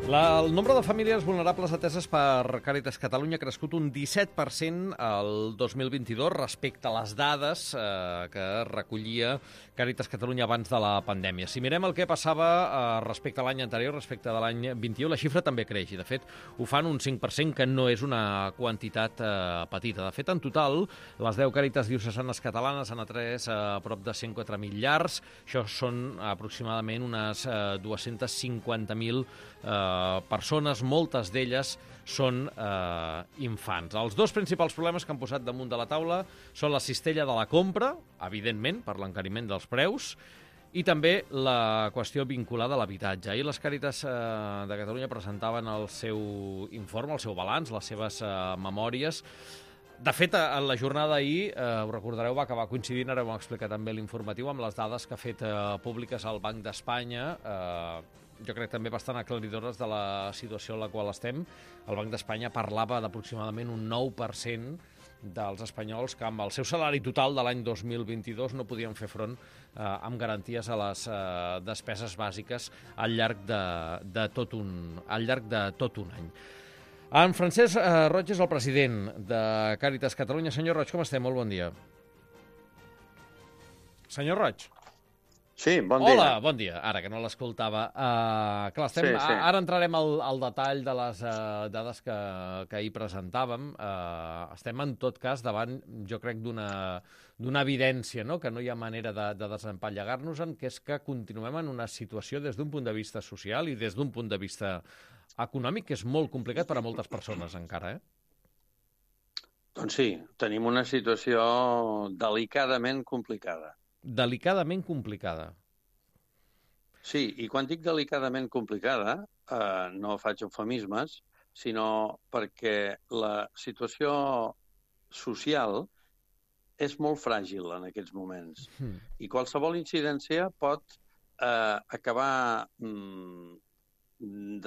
El nombre de famílies vulnerables ateses per Càritas Catalunya ha crescut un 17% el 2022 respecte a les dades que recollia Càritas Catalunya abans de la pandèmia. Si mirem el que passava respecte a l'any anterior, respecte de l'any 21, la xifra també creix i, de fet, ho fan un 5%, que no és una quantitat petita. De fet, en total, les 10 Càritas diocesanes catalanes han atès a prop de 104.000 llars. Això són aproximadament unes 250.000 persones, moltes d'elles són infants. Els dos principals problemes que han posat damunt de la taula són la cistella de la compra, evidentment, per l'encariment dels preus, i també la qüestió vinculada a l'habitatge. Ahir les Càritas de Catalunya presentaven el seu informe, el seu balanç, les seves memòries. De fet, en la jornada d'ahir, ho recordareu, va acabar coincidint, ara ho hem explicat també l'informatiu, amb les dades que ha fet públiques el Banc d'Espanya, jo crec també bastant aclaridores de la situació en la qual estem. El Banc d'Espanya parlava d'aproximadament un 9% dels espanyols que amb el seu salari total de l'any 2022 no podien fer front amb garanties a les despeses bàsiques al llarg de tot un any. En Francesc Roig és el president de Càritas Catalunya. Senyor Roig, com estem? Molt bon dia. Senyor Roig. Sí, bon dia. Hola, bon dia. Ara, que no l'escoltava. Clar, sí. Ara entrarem al detall de les dades que ahir presentàvem. Estem, en tot cas, davant, jo crec, d'una evidència, no?, que no hi ha manera de desempallegar-nos-en, que és que continuem en una situació des d'un punt de vista social i des d'un punt de vista econòmic que és molt complicat per a moltes persones encara, Doncs sí, tenim una situació delicadament complicada. Delicadament complicada. Sí, i quan dic delicadament complicada, no faig eufemismes, sinó perquè la situació social és molt fràgil en aquests moments. I qualsevol incidència pot acabar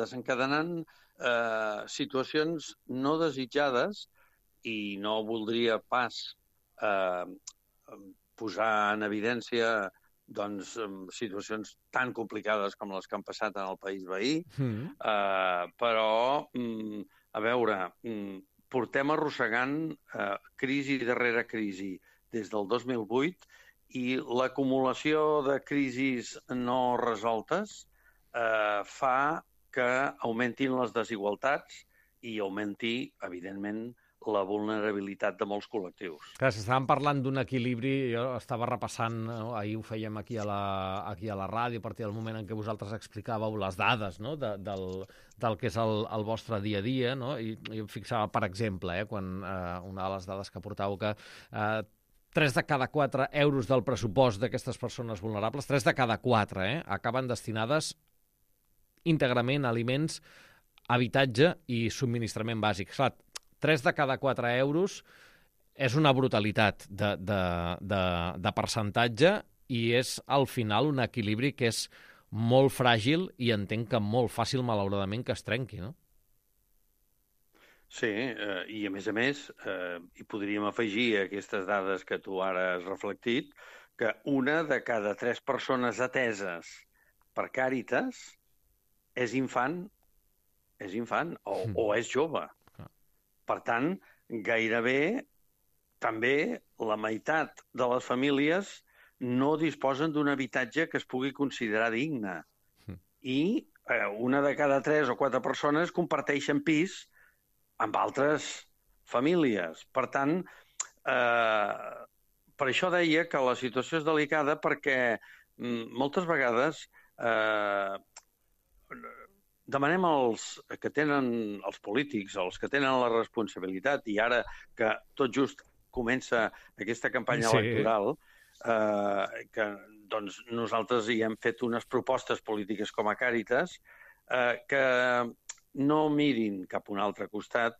desencadenant situacions no desitjades, i no voldria pas posar en evidència situacions tan complicades com les que han passat en el país veí, però, a veure, portem arrossegant crisi darrere crisi des del 2008 i l'acumulació de crisis no resoltes fa que augmentin les desigualtats i augmenti, evidentment, la vulnerabilitat de molts col·lectius. Clar, si estàvem parlant d'un equilibri, jo estava repassant, ahir ho fèiem aquí a la ràdio, a partir del moment en què vosaltres explicàveu les dades, no?, del que és el vostre dia a dia, no?, i jo em fixava, per exemple, quan una de les dades que portàveu, que 3 de cada 4 euros del pressupost d'aquestes persones vulnerables, 3 de cada 4, acaben destinades íntegrament a aliments, habitatge i subministrament bàsic. Clar, 3 de cada 4 euros és una brutalitat de percentatge i és, al final, un equilibri que és molt fràgil i entenc que molt fàcil, malauradament, que es trenqui, no? Sí, i a més, hi podríem afegir a aquestes dades que tu ara has reflectit, que una de cada 3 persones ateses per Càritas és infant o és jove. Per tant, gairebé també la meitat de les famílies no disposen d'un habitatge que es pugui considerar digne. I una de cada 3 o 4 persones comparteixen pis amb altres famílies. Per tant, per això deia que la situació és delicada, perquè moltes vegades demanem als que tenen els polítics, als que tenen la responsabilitat, i ara que tot just comença aquesta campanya electoral, que doncs, nosaltres hi hem fet unes propostes polítiques com a Càritas, que no mirin cap a un altre costat,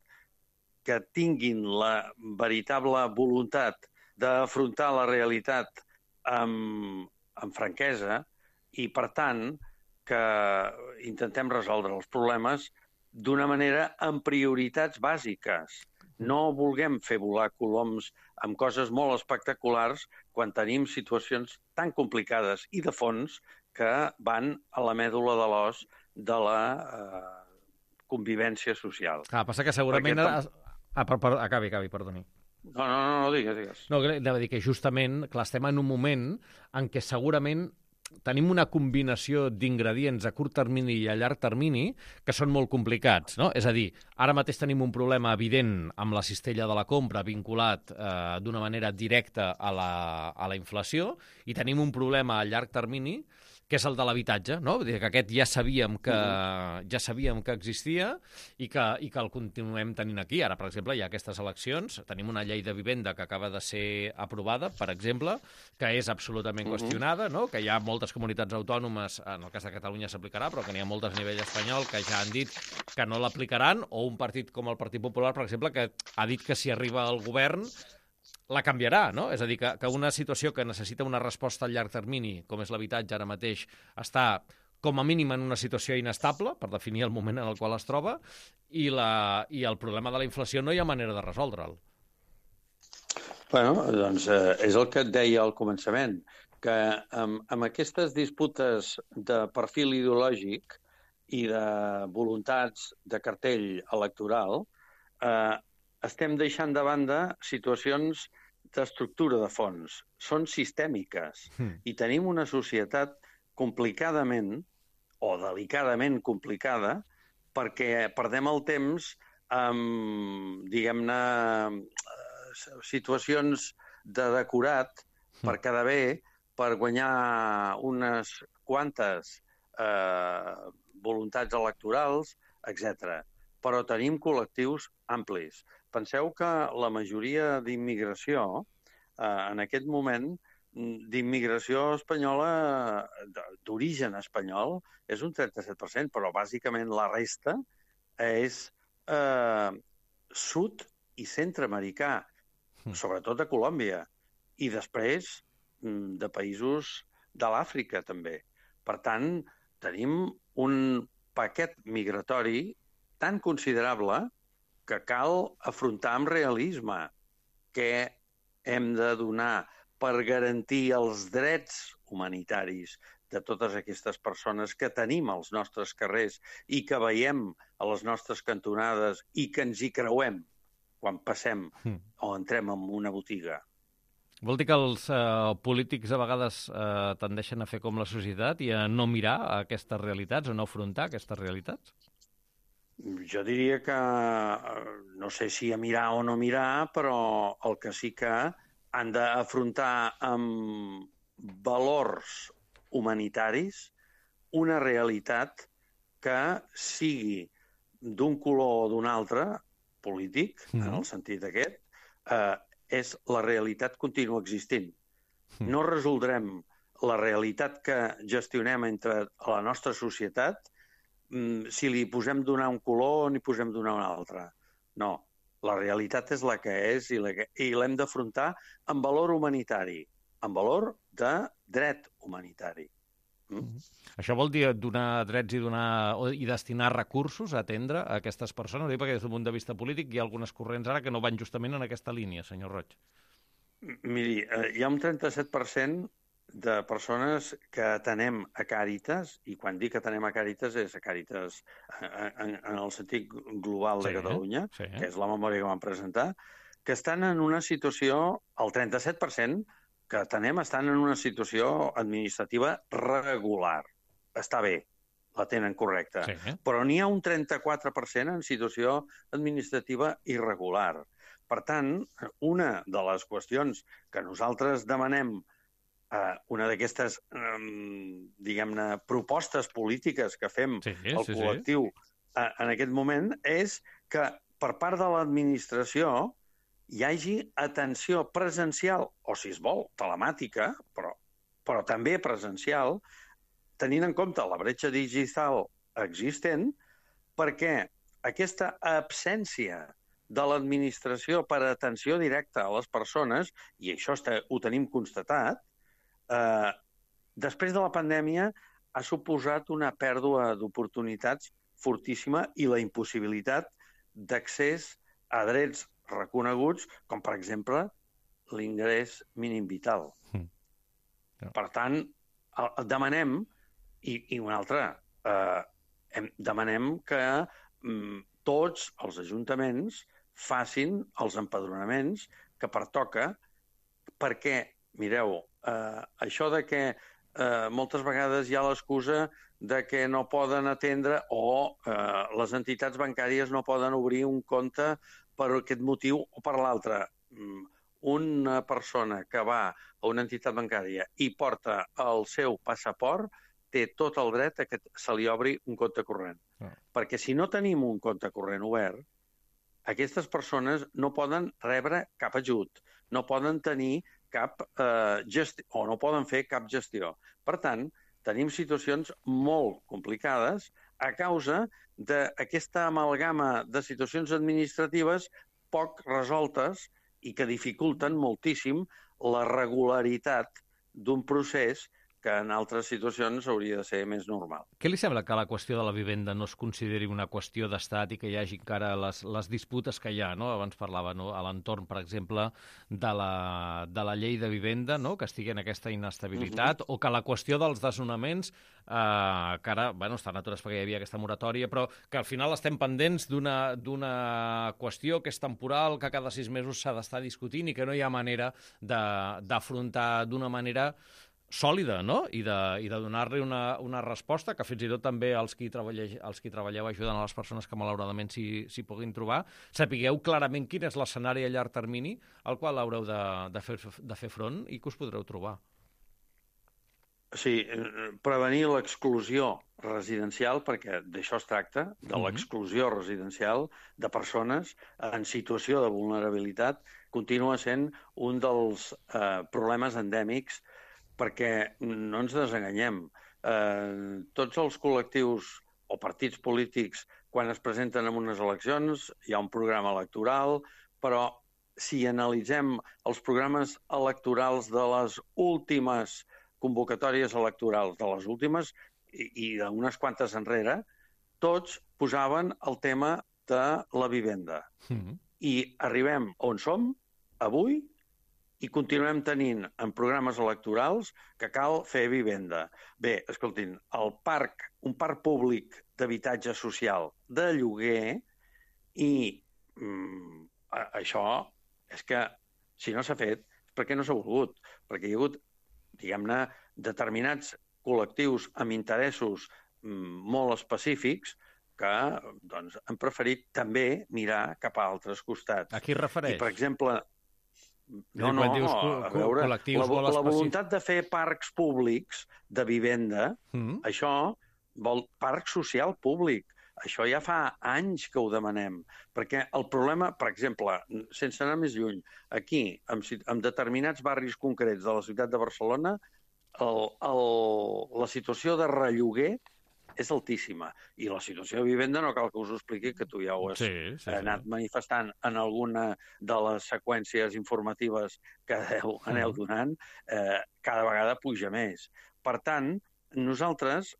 que tinguin la veritable voluntat d'afrontar la realitat amb franquesa i, per tant, que intentem resoldre els problemes d'una manera amb prioritats bàsiques. No vulguem fer volar coloms amb coses molt espectaculars quan tenim situacions tan complicades i de fons que van a la mèdula de l'os de la convivència social. Passa que segurament... Acabi, perdoni. No, digues. No, anava a dir que justament, clar, estem en un moment en què segurament tenim una combinació d'ingredients a curt termini i a llarg termini que són molt complicats, no? És a dir, ara mateix tenim un problema evident amb la cistella de la compra vinculat d'una manera directa a la inflació i tenim un problema a llarg termini que és el de l'habitatge, no? Vull dir que aquest ja sabíem que existia i que el continuem tenint aquí. Ara, per exemple, hi ha aquestes eleccions, tenim una llei de vivenda que acaba de ser aprovada, per exemple, que és absolutament qüestionada, no? Que hi ha moltes comunitats autònomes, en el cas de Catalunya s'aplicarà, però que n'hi ha moltes a nivell espanyol que ja han dit que no l'aplicaran, o un partit com el Partit Popular, per exemple, que ha dit que si arriba al govern la canviarà, no? És a dir, que una situació que necessita una resposta a llarg termini, com és l'habitatge ara mateix, està com a mínim en una situació inestable, per definir el moment en el qual es troba, i el problema de la inflació no hi ha manera de resoldre'l. Bueno, doncs és el que et deia al començament, que amb aquestes disputes de perfil ideològic i de voluntats de cartell electoral, estem deixant de banda situacions d'estructura de fons. Són sistèmiques i tenim una societat complicadament o delicadament complicada perquè perdem el temps amb, diguem-ne, situacions de decorat per quedar bé, per guanyar unes quantes voluntats electorals, etc. Però tenim col·lectius amplis. Penseu que la majoria d'immigració, en aquest moment, d'immigració espanyola, d'origen espanyol, és un 37%, però bàsicament la resta és sud i centreamericà, sobretot de Colòmbia, i després de països de l'Àfrica, també. Per tant, tenim un paquet migratori tan considerable que cal afrontar amb realisme què hem de donar per garantir els drets humanitaris de totes aquestes persones que tenim als nostres carrers i que veiem a les nostres cantonades i que ens hi creuem quan passem o entrem en una botiga. Vol dir que els polítics a vegades tendeixen a fer com la societat i a no mirar aquestes realitats o no afrontar aquestes realitats? Jo diria que, no sé si a mirar o no mirar, però el que sí que han d'afrontar amb valors humanitaris una realitat que sigui d'un color o d'un altre, polític, en el sentit aquest, és la realitat continua existint. No resoldrem la realitat que gestionem entre la nostra societat si li posem donar un color o n'hi posem donar un altre. No, la realitat és la que és i l'hem d'afrontar amb valor humanitari, amb valor de dret humanitari. Això vol dir donar drets i destinar recursos a atendre a aquestes persones? Perquè des d'un punt de vista polític hi ha algunes corrents ara que no van justament en aquesta línia, senyor Roig. Miri, hi ha un 37% de persones que atenem a Càritas, i quan dic atenem a Càritas és a Càritas en el sentit global de Catalunya, que és la memòria que vam presentar, que estan en una situació, el 37% que atenem estan en una situació administrativa regular. Està bé, la tenen correcta. Però n'hi ha un 34% en situació administrativa irregular. Per tant, una de les qüestions que nosaltres demanem una d'aquestes, diguem-ne, propostes polítiques que fem al col·lectiu en aquest moment és que per part de l'administració hi hagi atenció presencial, o si es vol, telemàtica, però també presencial, tenint en compte la bretxa digital existent, perquè aquesta absència de l'administració per atenció directa a les persones, i això ho tenim constatat, després de la pandèmia ha suposat una pèrdua d'oportunitats fortíssima i la impossibilitat d'accés a drets reconeguts, com per exemple l'ingrés mínim vital. Per tant, demanem, i una altra, demanem que tots els ajuntaments facin els empadronaments que pertoca, perquè, mireu, això de que moltes vegades hi ha l'excusa de que no poden atendre o les entitats bancàries no poden obrir un compte per aquest motiu o per l'altre. Una persona que va a una entitat bancària i porta el seu passaport té tot el dret a que se li obri un compte corrent. Perquè si no tenim un compte corrent obert, aquestes persones no poden rebre cap ajut, no poden tenir cap gestió o no poden fer cap gestió. Per tant, tenim situacions molt complicades a causa d'aquesta amalgama de situacions administratives poc resoltes i que dificulten moltíssim la regularitat d'un procés que en altres situacions hauria de ser més normal. Què li sembla que la qüestió de la vivenda no es consideri una qüestió d'estat i que hi hagi encara les disputes que hi ha, no? Abans parlava, no? A l'entorn, per exemple, de la llei de vivenda, no? Que estigui en aquesta inestabilitat, o que la qüestió dels desnonaments, que ara estan atures perquè hi havia aquesta moratòria, però que al final estem pendents d'una qüestió que és temporal, que cada 6 mesos s'ha d'estar discutint i que no hi ha manera d'afrontar d'una manera sòlida, no? I de donar-li una resposta que fins i tot també els qui treballeu ajudant a les persones que malauradament s'hi puguin trobar, sapigueu clarament quin és l'escenari a llarg termini al qual haureu de fer front i que us podreu trobar. Sí, prevenir l'exclusió residencial, perquè d'això es tracta, de l'exclusió residencial de persones en situació de vulnerabilitat, continua sent un dels problemes endèmics, perquè no ens desenganyem. Tots els col·lectius o partits polítics, quan es presenten en unes eleccions, hi ha un programa electoral, però si analitzem els programes electorals de les últimes convocatòries electorals, de les últimes i d'unes quantes enrere, tots posaven el tema de la vivenda. I arribem on som avui i continuem tenint en programes electorals que cal fer vivenda. Bé, escoltin, un parc públic d'habitatge social de lloguer i això és que si no s'ha fet és perquè no s'ha volgut, perquè hi ha hagut, diguem-ne, determinats col·lectius amb interessos molt específics que han preferit també mirar cap a altres costats. A qui es refereix? I, per exemple, a veure, la voluntat de fer parcs públics de vivenda, això vol parc social públic. Això ja fa anys que ho demanem. Perquè el problema, per exemple, sense anar més lluny, aquí, en determinats barris concrets de la ciutat de Barcelona, la situació de relloguer és altíssima. I la situació de vivenda no cal que us ho expliqui, que tu ja ho has anat manifestant en alguna de les seqüències informatives que aneu donant, cada vegada puja més. Per tant, nosaltres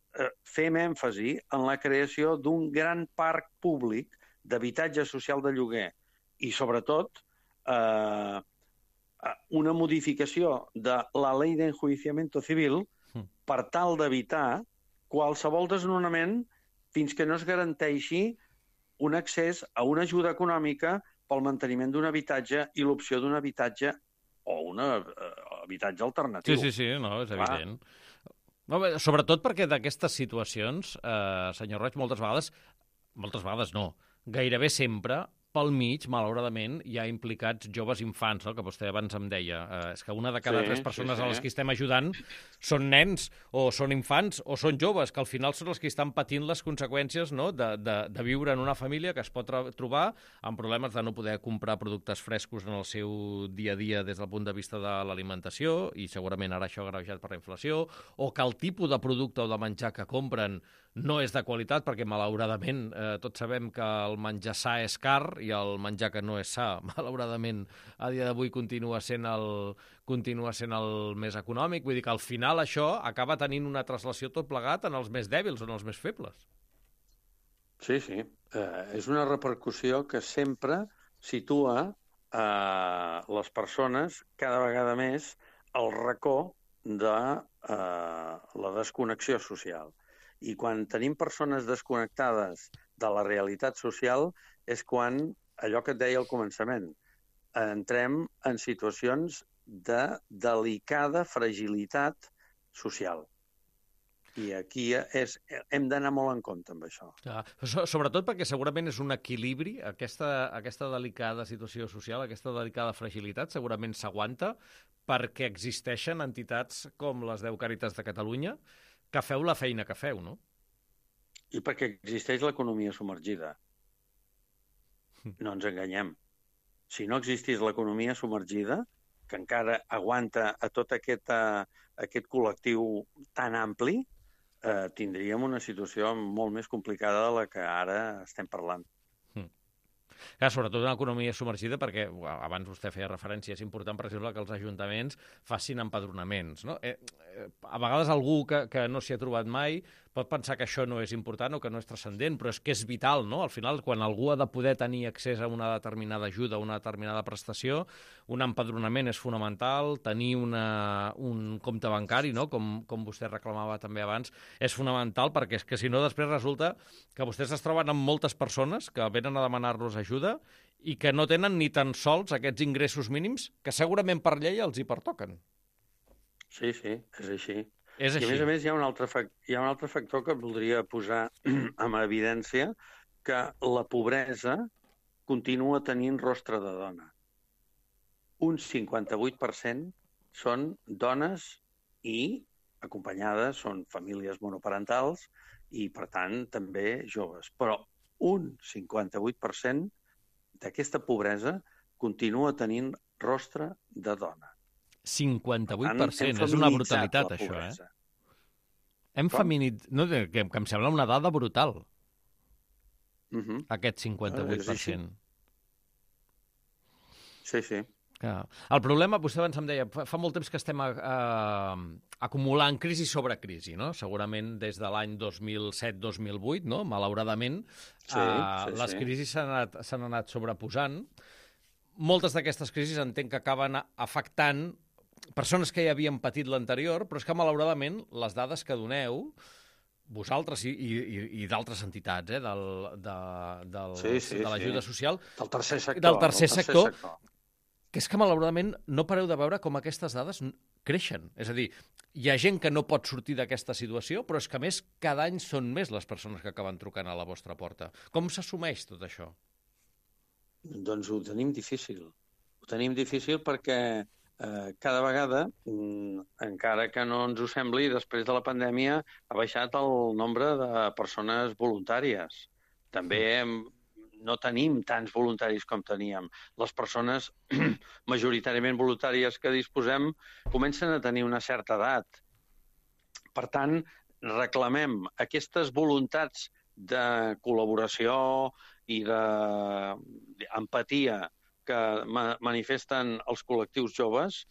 fem èmfasi en la creació d'un gran parc públic d'habitatge social de lloguer i, sobretot, una modificació de la Ley de Enjuiciamiento Civil per tal d'evitar qualsevol desnonament fins que no es garanteixi un accés a una ajuda econòmica pel manteniment d'un habitatge i l'opció d'un habitatge o un habitatge alternatiu. Sí, no, és evident. No, sobretot perquè d'aquestes situacions, senyor Roig, moltes vegades no, gairebé sempre pel mig, malauradament, hi ha implicats joves infants, no? Que vostè abans em deia. És que una de cada 3 persones a les que estem ajudant són nens, o són infants, o són joves, que al final són els que estan patint les conseqüències, no? de viure en una família que es pot trobar amb problemes de no poder comprar productes frescos en el seu dia a dia des del punt de vista de l'alimentació, i segurament ara això agreujat per la inflació, o que el tipus de producte o de menjar que compren no és de qualitat, perquè malauradament tots sabem que el menjar sa és car i el menjar que no és sa, malauradament, a dia d'avui continua sent el més econòmic. Vull dir que al final això acaba tenint una translació tot plegat en els més dèbils o en els més febles. Sí. És una repercussió que sempre situa les persones cada vegada més al racó de la desconnexió social. I quan tenim persones desconnectades de la realitat social és quan, allò que et deia al començament, entrem en situacions de delicada fragilitat social. I aquí hem d'anar molt en compte amb això. Sobretot perquè segurament és un equilibri, aquesta delicada situació social, aquesta delicada fragilitat, segurament s'aguanta perquè existeixen entitats com les 10 Càritas de Catalunya que feu la feina que feu, no? I perquè existeix l'economia submergida. No ens enganyem. Si no existís l'economia submergida, que encara aguanta a tot aquest col·lectiu tan ampli, tindríem una situació molt més complicada de la que ara estem parlant. Clar, sobretot en l'economia submergida, perquè abans vostè feia referència, és important, per exemple, que els ajuntaments facin empadronaments, no? A vegades algú que no s'hi ha trobat mai pot pensar que això no és important o que no és transcendent, però és que és vital, no? Al final, quan algú ha de poder tenir accés a una determinada ajuda, a una determinada prestació, un empadronament és fonamental, tenir un compte bancari, no? Com vostè reclamava també abans, és fonamental, perquè és que si no després resulta que vostès es troben amb moltes persones que venen a demanar-los ajuda i que no tenen ni tan sols aquests ingressos mínims que segurament per llei els hi pertoquen. Sí, és així. És així. I a més hi ha un altre factor que voldria posar en evidència, que la pobresa continua tenint rostre de dona. Un 58% són dones i acompanyades, són famílies monoparentals i, per tant, també joves. Però un 58% d'aquesta pobresa continua tenint rostre de dona. 58%, és una brutalitat, això, Hem feminitzat... No, que em sembla una dada brutal, aquest 58%. Sí. El problema, vostè abans em deia, fa molt temps que estem acumulant crisi sobre crisi, no? Segurament des de l'any 2007-2008, no? Malauradament, les crisis s'han anat sobreposant. Moltes d'aquestes crisis entenc que acaben afectant persones que ja havien patit l'anterior, però és que malauradament les dades que doneu, vosaltres i d'altres entitats, de l'ajuda social, del tercer sector, que és que malauradament no pareu de veure com aquestes dades creixen. És a dir, hi ha gent que no pot sortir d'aquesta situació, però és que a més cada any són més les persones que acaben trucant a la vostra porta. Com s'assumeix tot això? Doncs ho tenim difícil. Ho tenim difícil perquè cada vegada, encara que no ens ho sembli, després de la pandèmia ha baixat el nombre de persones voluntàries. També no tenim tants voluntaris com teníem. Les persones majoritàriament voluntàries que disposem comencen a tenir una certa edat. Per tant, reclamem aquestes voluntats de col·laboració i d'empatia que manifesten els col·lectius joves,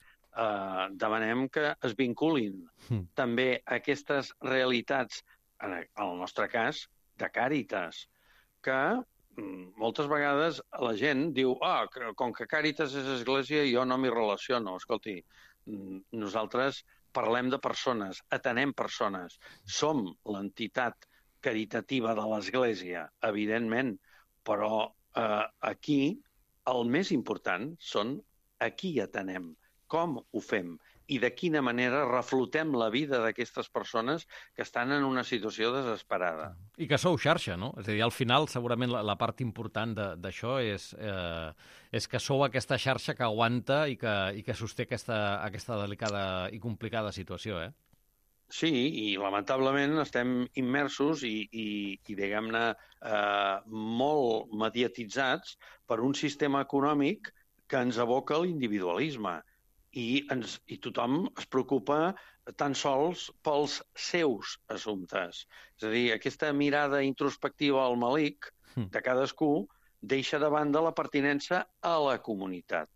demanem que es vinculin també a aquestes realitats, en el nostre cas, de Càritas, que moltes vegades la gent diu com que Càritas és església jo no m'hi relaciono. Escolti, nosaltres parlem de persones, atenem persones, som l'entitat caritativa de l'Església, evidentment, però aquí el més important són a qui atenem, com ho fem i de quina manera reflotem la vida d'aquestes persones que estan en una situació desesperada. I que sou xarxa, no? És a dir, al final, segurament la part important d'això és que sou aquesta xarxa que aguanta i que sosté aquesta delicada i complicada situació, Sí, i lamentablement estem immersos i diguem-ne, molt mediatitzats per un sistema econòmic que ens aboca a l'individualisme i tothom es preocupa tan sols pels seus assumptes. És a dir, aquesta mirada introspectiva al malic de cadascú deixa de banda la pertinença a la comunitat.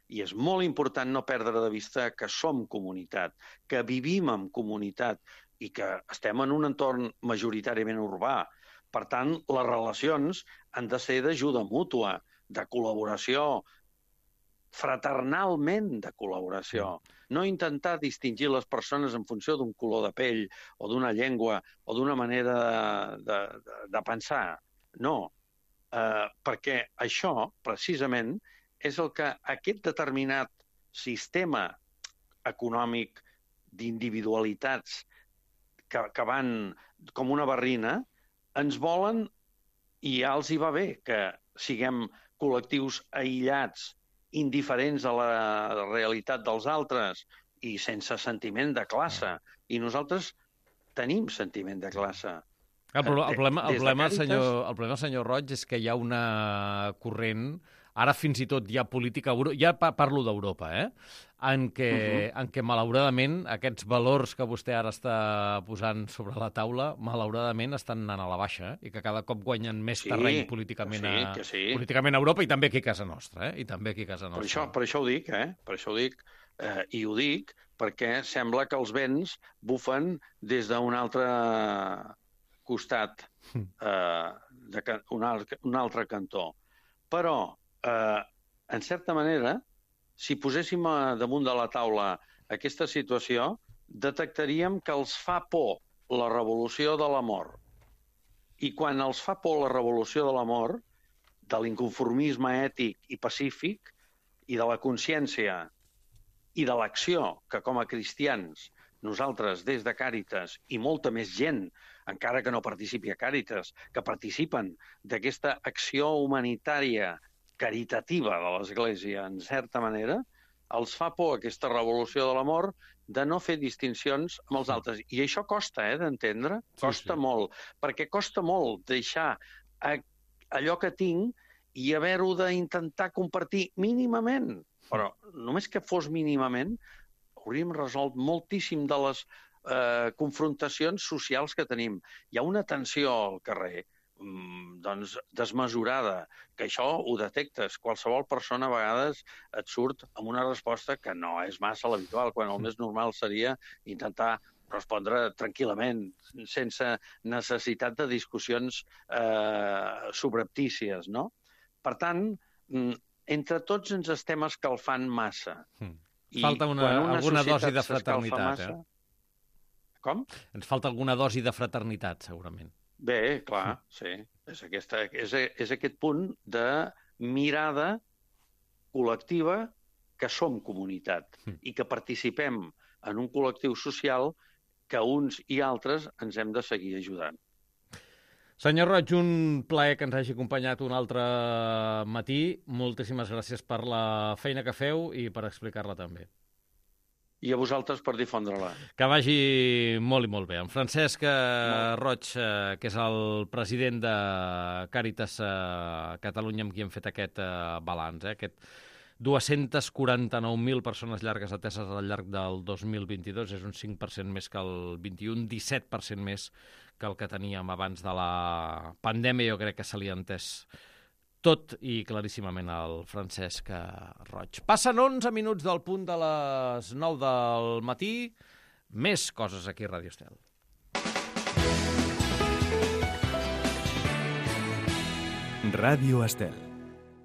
I és molt important no perdre de vista que som comunitat, que vivim en comunitat i que estem en un entorn majoritàriament urbà. Per tant, les relacions han de ser d'ajuda mútua, de col·laboració, fraternalment de col·laboració. No intentar distingir les persones en funció d'un color de pell o d'una llengua o d'una manera de pensar. No, perquè això, precisament, és el que aquest determinat sistema econòmic d'individualitats que van com una barrina, ens volen i ja els hi va bé que siguem col·lectius aïllats, indiferents a la realitat dels altres i sense sentiment de classe. I nosaltres tenim sentiment de classe. El problema, senyor Roig, és que hi ha una corrent, ara fins i tot hi ha política, ja parlo d'Europa, en què malauradament aquests valors que vostè ara està posant sobre la taula, malauradament estan anant a la baixa, i que cada cop guanyen més terreny políticament a Europa i també aquí a casa nostra. Per això ho dic, per això ho dic, i ho dic perquè sembla que els vents bufen des d'un altre costat, un altre cantó. Però, en certa manera, si poséssim damunt de la taula aquesta situació, detectaríem que els fa por la revolució de l'amor. I quan els fa por la revolució de l'amor, de l'inconformisme ètic i pacífic, i de la consciència i de l'acció que com a cristians nosaltres des de Càritas i molta més gent, encara que no participi a Càritas, que participen d'aquesta acció humanitària caritativa de l'Església, en certa manera, els fa por aquesta revolució de l'amor de no fer distincions amb els altres. I això costa, d'entendre, costa molt, perquè costa molt deixar allò que tinc i haver-ho d'intentar compartir mínimament. Però només que fos mínimament, hauríem resolt moltíssim de les confrontacions socials que tenim. Hi ha una tensió al carrer desmesurada, que això ho detectes. Qualsevol persona a vegades et surt amb una resposta que no és massa l'habitual, quan el més normal seria intentar respondre tranquil·lament, sense necessitat de discussions subreptícies, no? Per tant, entre tots ens estem escalfant massa. Falta alguna dosi de fraternitat, Com? Ens falta alguna dosi de fraternitat, segurament. Bé, clar, sí. És aquest punt de mirada col·lectiva que som comunitat i que participem en un col·lectiu social que uns i altres ens hem de seguir ajudant. Senyor Roig, un plaer que ens hagi acompanyat un altre matí. Moltíssimes gràcies per la feina que feu i per explicar-la també. I a vosaltres per difondre-la. Que vagi molt i molt bé. En Francesc Roig, que és el president de Càritas Catalunya, amb qui hem fet aquest balanç, aquest 249.000 persones llargues ateses al llarg del 2022, és un 5% més que el 21, 17% més que el que teníem abans de la pandèmia. Jo crec que se li ha entès tot i claríssimament al Francesc Roig. Passen 11 minuts del punt de les 9 del matí. Més coses aquí a Ràdio Estel. Ràdio Estel.